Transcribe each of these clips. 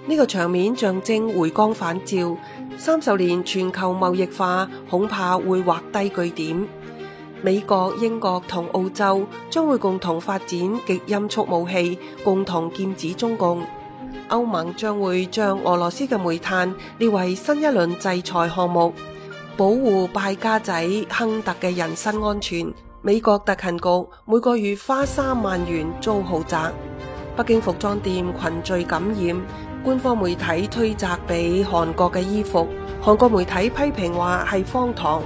呢個場面象徵回光返照，30年全球貿易化恐怕會畫低句點。美國、英國同澳洲將會共同發展極音速武器，共同劍指中共。歐盟將會將俄羅斯嘅煤炭列為新一輪制裁項目，保護敗家仔亨特嘅人身安全。美國特勤局每個月花3萬元租豪宅。北京服裝店群聚感染，官方媒體推責俾韓國嘅衣服，韓國媒體批評話係荒唐。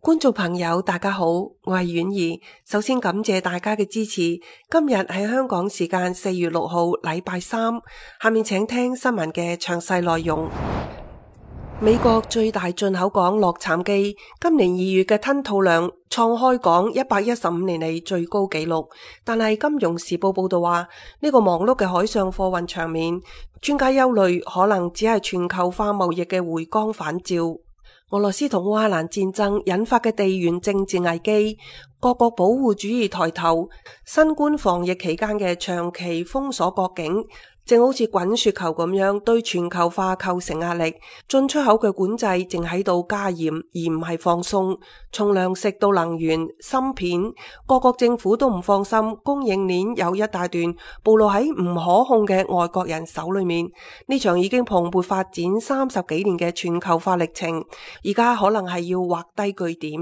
觀眾朋友大家好，我係婉兒，首先感謝大家嘅支持。今日係香港時間4月6號禮拜三，下面請聽新聞嘅詳細內容。美國最大進口港洛杉磯今年2月嘅吞吐量創開港115年嚟最高紀錄，但係金融時報報道話呢個忙碌嘅海上貨運場面，專家憂慮可能只係全球化貿易嘅回光返照。俄羅斯同烏克蘭戰爭引發嘅地緣政治危機，各國保護主義抬頭，新冠防疫期間嘅長期封鎖國境，正好似滾雪球咁樣對全球化構成壓力。進出口嘅管制正喺度加嚴，而唔係放鬆。從糧食到能源、芯片，各國政府都唔放心，供應鏈有一大段暴露喺唔可控嘅外國人手裏面。呢場已經蓬勃發展30幾年嘅全球化歷程，而家可能係要畫低句點。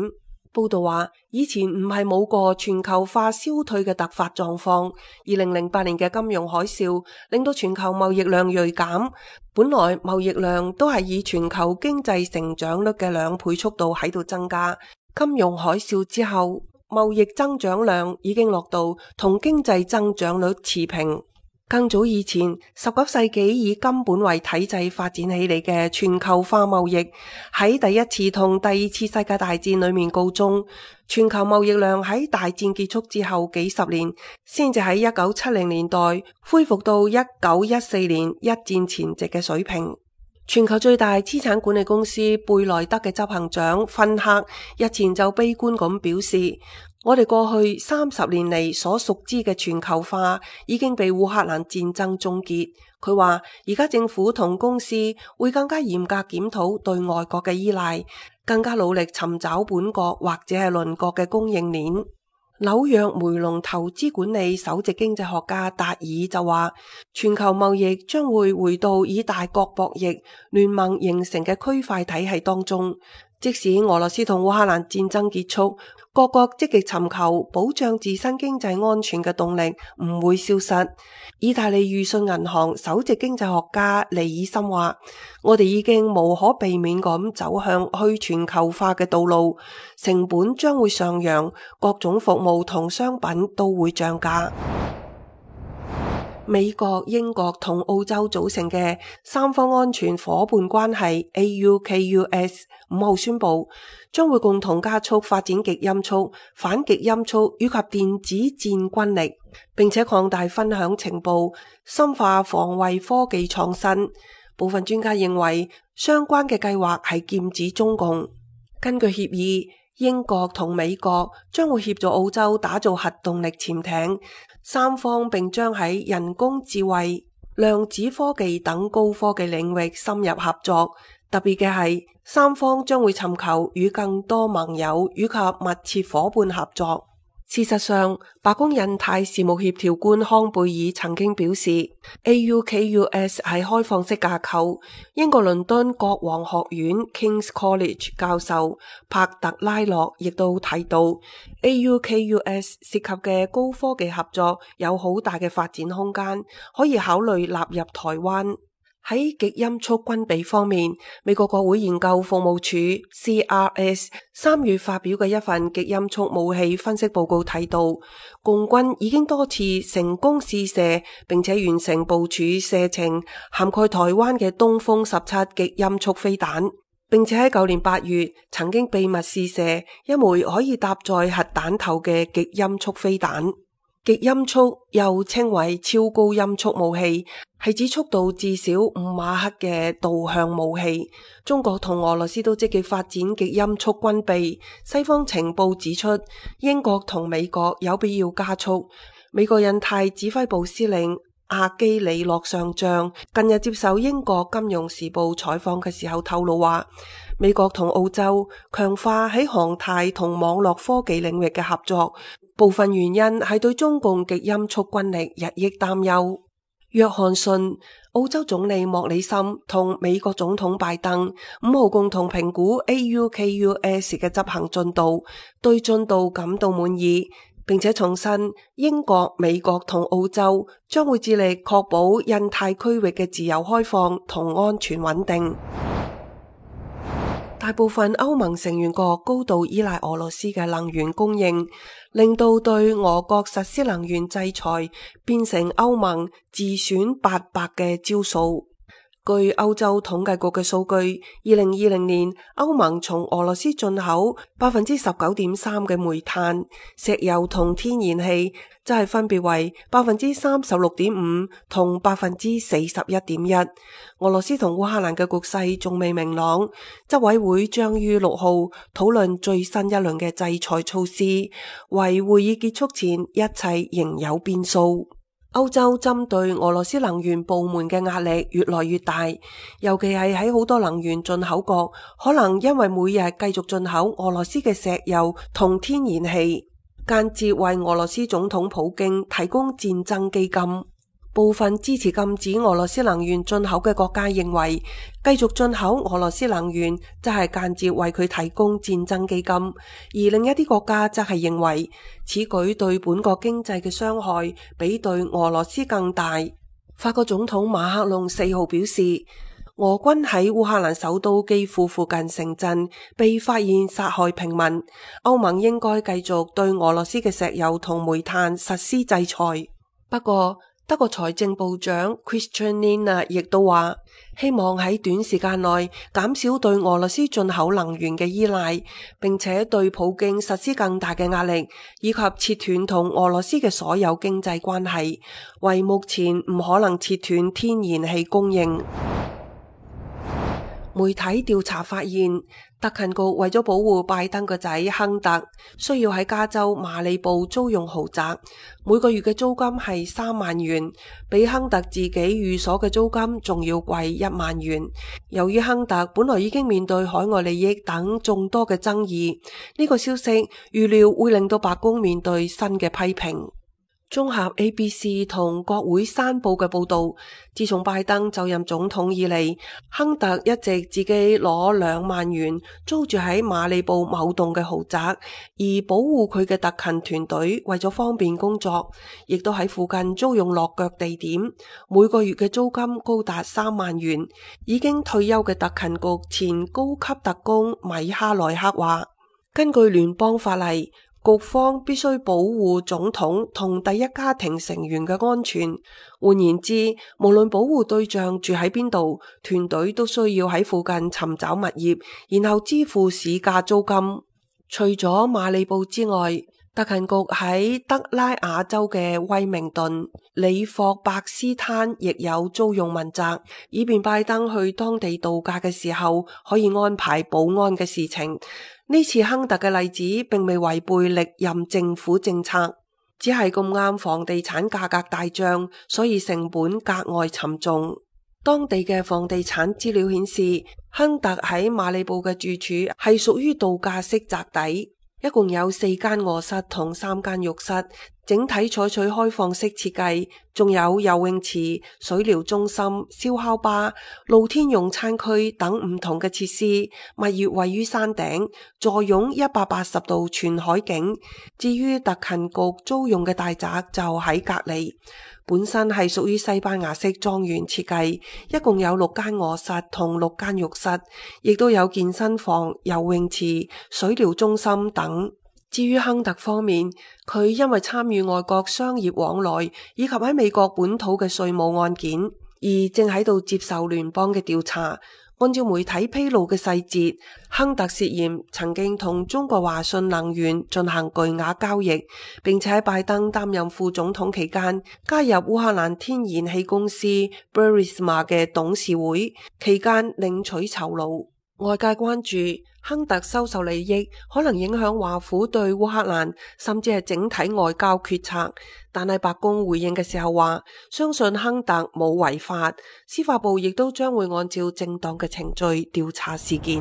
報道話，以前唔係冇過全球化消退嘅突發狀況。2008年嘅金融海嘯令到全球貿易量銳減，本來貿易量都係以全球經濟成長率嘅2倍速度喺度增加。金融海嘯之後，貿易增長量已經落到同經濟增長率持平。更早以前，19世紀以金本位體制發展起嚟嘅全球化貿易，喺第一次同第二次世界大戰裏面告終。全球貿易量喺大戰結束之後幾十年，先至喺1970年代恢復到1914年一戰前夕嘅水平。全球最大資產管理公司貝萊德嘅執行長芬克日前就悲觀咁表示，我哋過去30年嚟所熟知嘅全球化已經被烏克蘭戰爭終結。佢話而家政府同公司會更加嚴格檢討對外國嘅依賴，更加努力尋找本國或者係鄰國嘅供應鏈。紐約梅隆投資管理首席經濟學家達爾就話，全球貿易將會回到以大國博弈聯盟形成嘅區塊體系當中。即使俄羅斯同烏克蘭戰爭結束，各國積極尋求保障自身經濟安全嘅動力唔會消失。意大利裕信銀行首席經濟學家利爾森話，我哋已經無可避免咁走向去全球化嘅道路，成本將會上揚，各種服務同商品都會漲價。美國、英國同澳洲組成嘅三方安全夥伴關係 AUKUS 5號宣布，將會共同加速發展極音速、反極音速以及電子戰軍力，並且擴大分享情報，深化防衛科技創新。部分專家認為，相關嘅計劃係劍指中共。根據協議，英國同美國將會協助澳洲打造核動力潛艇，三方並將喺人工智慧、量子科技等高科技領域深入合作。特別嘅係，三方將會尋求與更多盟友以及密切夥伴合作。事實上，白宮印太事務協調官康貝爾曾經表示 ，AUKUS 係開放式架構。英國倫敦國王學院 King's College 教授帕特拉洛亦都提到 ，AUKUS 涉及嘅高科技合作有好大嘅發展空間，可以考慮納入台灣。喺極音速軍備方面，美國國會研究服務處 CRS 3月發表嘅一份極音速武器分析報告提到，共軍已經多次成功試射，並且完成部署射程涵蓋台灣嘅東風17極音速飛彈，並且喺舊年8月曾經秘密試射一枚可以搭載核彈頭嘅極音速飛彈。極音速又稱為超高音速武器，係指速度至少5馬赫嘅導向武器。中國同俄羅斯都積極發展極音速軍備。西方情報指出，英國同美國有必要加速。美國印太指揮部司令阿基里諾上將近日接受英國金融時報採訪嘅時候透露話，美國同澳洲強化喺航太同網絡科技領域嘅合作，部分原因係對中共極音速軍力日益擔憂。約翰遜、澳洲總理莫里森同美國總統拜登5號共同評估 AUKUS 嘅執行進度，對進度感到滿意，並且重申英國、美國同澳洲將會致力確保印太區域嘅自由開放同安全穩定。大部分歐盟成員國高度依賴俄羅斯嘅能源供應，令到對俄國實施能源制裁變成歐盟自選800嘅招數。據歐洲統計局嘅數據，2020年歐盟從俄羅斯進口 19.3% 嘅煤炭、石油同天然氣，即係分別為 36.5% 同 41.1%。俄羅斯同烏克蘭嘅局勢仲未明朗，執委會將於6號討論最新一輪嘅制裁措施，為會議結束前一切仍有變數。歐洲針對俄羅斯能源部門嘅壓力越來越大，尤其係喺好多能源進口國，可能因為每日繼續進口俄羅斯嘅石油同天然氣，間接為俄羅斯總統普京提供戰爭基金。部分支持禁止俄羅斯能源進口嘅國家認為，繼續進口俄羅斯能源就係間接為佢提供戰爭基金，而另一啲國家則係認為此舉對本國經濟嘅傷害比對俄羅斯更大。法國總統馬克龍4號表示，俄軍喺烏克蘭首都基輔附近城鎮被發現殺害平民，歐盟應該繼續對俄羅斯嘅石油同煤炭實施制裁。不過，德國財政部長 Christian Lindner 亦都話，希望喺短時間內減少對俄羅斯進口能源嘅依賴，並且對普京實施更大嘅壓力，以及切斷同俄羅斯嘅所有經濟關係，為目前唔可能切斷天然氣供應。媒體調查發現，特勤局為咗保護拜登個仔亨特，需要喺加州馬里布租用豪宅，每個月嘅租金係3萬元，比亨特自己寓所嘅租金仲要貴1萬元。由於亨特本來已經面對海外利益等眾多嘅爭議，呢個消息預料會令到白宮面對新嘅批評。綜合 ABC 同國會山報嘅報道，自從拜登就任總統以嚟，亨特一直自己攞2萬元租住喺馬里布某棟嘅豪宅，而保護佢嘅特勤團隊為咗方便工作，亦都喺附近租用落腳地點，每個月嘅租金高達3萬元。已經退休嘅特勤局前高級特工米哈內克話，根據聯邦法例，局方必須保護總統同第一家庭成員嘅安全。換言之，無論保護對象住喺邊度，團隊都需要喺附近尋找物業，然後支付市價租金。除咗馬里布之外，特勤局喺德拉瓦州嘅威明頓、里霍伯斯灘亦有租用民宅，以便拜登去當地度假嘅時候可以安排保安嘅事情。呢次亨特嘅例子並未違背歷任政府政策，只係咁啱房地產價格大漲，所以成本格外沉重。當地嘅房地產資料顯示，亨特喺馬里布嘅住處係屬於度假式宅邸，一共有4間臥室同3間浴室，整體採取開放式設計，仲有游泳池、水療中心、燒烤吧、露天用餐區等唔同嘅設施。物業位於山頂，坐擁180度全海景。至於特勤局租用嘅大宅就喺隔離，本身係屬於西班牙式莊園設計，一共有6間臥室同6間浴室，亦都有健身房、游泳池、水療中心等。至於亨特方面，佢因為參與外國商業往來以及喺美國本土嘅稅務案件，而正喺度接受聯邦嘅調查。按照媒體披露嘅細節，亨特涉嫌曾經同中國華信能源進行巨額交易，並且喺拜登擔任副總統期間加入烏克蘭天然氣公司 Burisma 嘅董事會，期間領取酬勞。外界關注亨特收受利益可能影響華府對烏克蘭甚至係整體外交決策，但係白宮回應嘅時候話，相信亨特冇違法，司法部亦都將會按照正當嘅程序調查事件。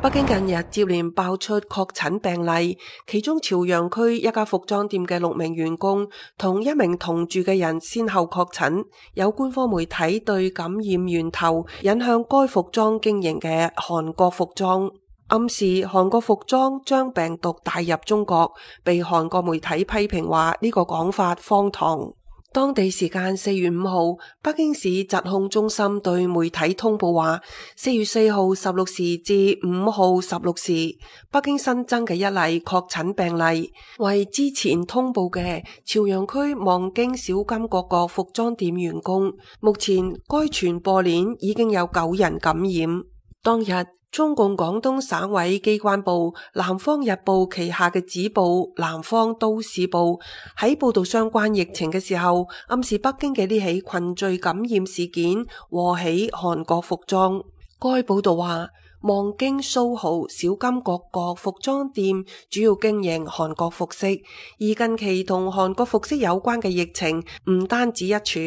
北京近日接連爆出確診病例，其中朝陽區一家服裝店嘅6名員工同一名同住嘅人先後確診，有官方媒體對感染源頭引向該服裝經營嘅韓國服裝，暗示韓國服裝將病毒帶入中國，被韓國媒體批評話呢個講法荒唐。當地時間4月5號，北京市疾控中心對媒體通報話，4月4號16時至5號16時，北京新增嘅一例確診病例，為之前通報嘅朝陽區望京小金各個服裝店員工。目前該傳播鏈已經有9人感染。當日，中共廣東省委機關報《南方日報》旗下嘅子報《南方都市報》喺報道相關疫情嘅時候，暗示北京嘅呢起群聚感染事件禍起韓國服裝。該報道話，望京蘇豪小金各個服裝店主要經營韓國服飾，而近期同韓國服飾有關嘅疫情唔單止一處。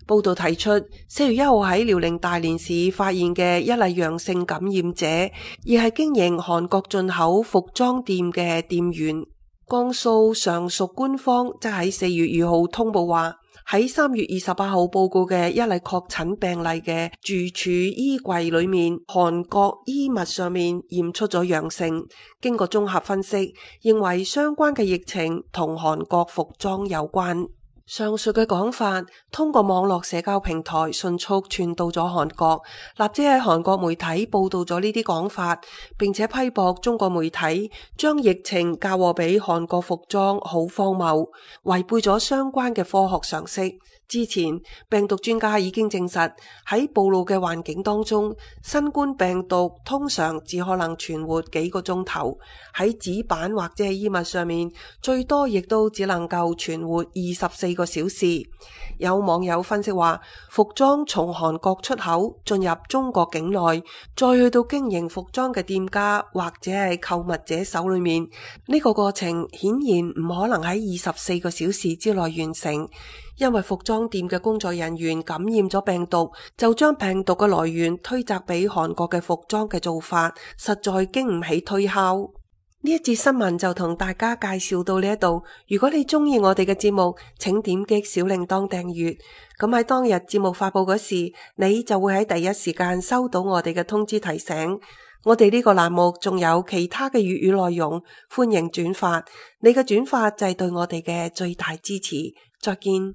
報道提出，4月1號喺遼寧大連市發現嘅一例陽性感染者，而係經營韓國進口服裝店嘅店員。江蘇常熟官方則喺4月2號通報話，喺3月28號報告嘅一例確診病例嘅住處衣櫃裏面，韓國衣物上面驗出咗陽性。經過綜合分析，認為相關嘅疫情同韓國服裝有關。上述嘅講法通過網絡社交平台迅速傳到咗韓國，立即喺韓國媒體報道咗呢啲講法，並且批駁中國媒體將疫情嫁禍俾韓國服裝，好荒謬，違背咗相關嘅科學常識。之前病毒專家已經證實，喺暴露嘅環境當中，新冠病毒通常只可能存活幾個鐘頭，喺紙板或者係衣物上面，最多亦都只能夠存活24個小時。有網友分析話，服裝從韓國出口進入中國境內，再去到經營服裝嘅店家或者係購物者手裏面，呢個過程顯然唔可能喺24個小時之內完成。因為服裝店嘅工作人員感染咗病毒，就將病毒嘅來源推責俾韓國嘅服裝嘅做法，實在經唔起推敲。呢一節新聞就同大家介紹到呢一度。如果你中意我哋嘅節目，請點擊小鈴鐺訂閱。咁喺當日節目發佈嗰時，你就會喺第一時間收到我哋嘅通知提醒。我哋呢個欄目仲有其他嘅粵語內容，歡迎轉發。你嘅轉發就係對我哋嘅最大支持。再見。